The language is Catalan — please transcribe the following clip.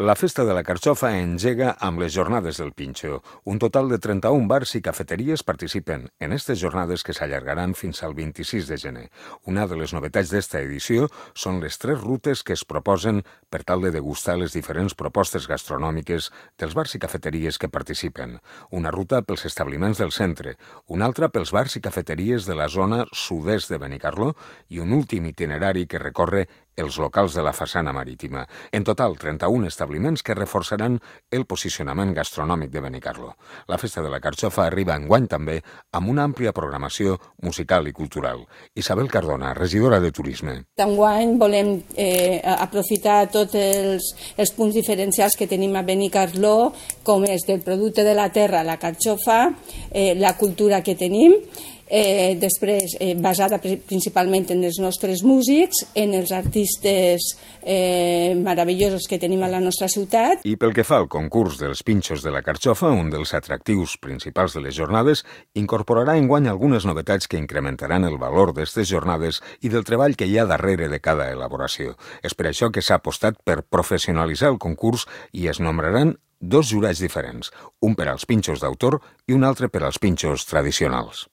La Festa de la Carxofa engega amb les Jornades del Pinxo. Un total de 31 bars i cafeteries participen en aquestes jornades que s'allargaran fins al 26 de gener. Una de les novetats d'esta edició són les 3 rutes que es proposen per tal de degustar les diferents propostes gastronòmiques dels bars i cafeteries que participen. Una ruta pels establiments del centre, una altra pels bars i cafeteries de la zona sud-est de Benicarló i un últim itinerari que recorre els locals de la façana marítima. En total, 31 establiments que reforçaran el posicionament gastronòmic de Benicarló. La Festa de la Carxofa arriba enguany també amb una àmplia programació musical i cultural. Isabel Cardona, regidora de Turisme. Enguany volem aprofitar tots els punts diferencials que tenim a Benicarló, com és del producte de la terra, la carxofa, la cultura que tenim, després basada principalment en els nostres músics, en els artistes meravellosos que tenim a la nostra ciutat. I pel que fa al concurs dels pinxos de la carxofa, un dels atractius principals de les jornades, incorporarà enguany algunes novetats que incrementaran el valor d'aquestes jornades i del treball que hi ha darrere de cada elaboració. És per això que s'ha apostat per professionalitzar el concurs i es nombraran 2 jurats diferents, un per als pinxos d'autor i un altre per als pinxos tradicionals.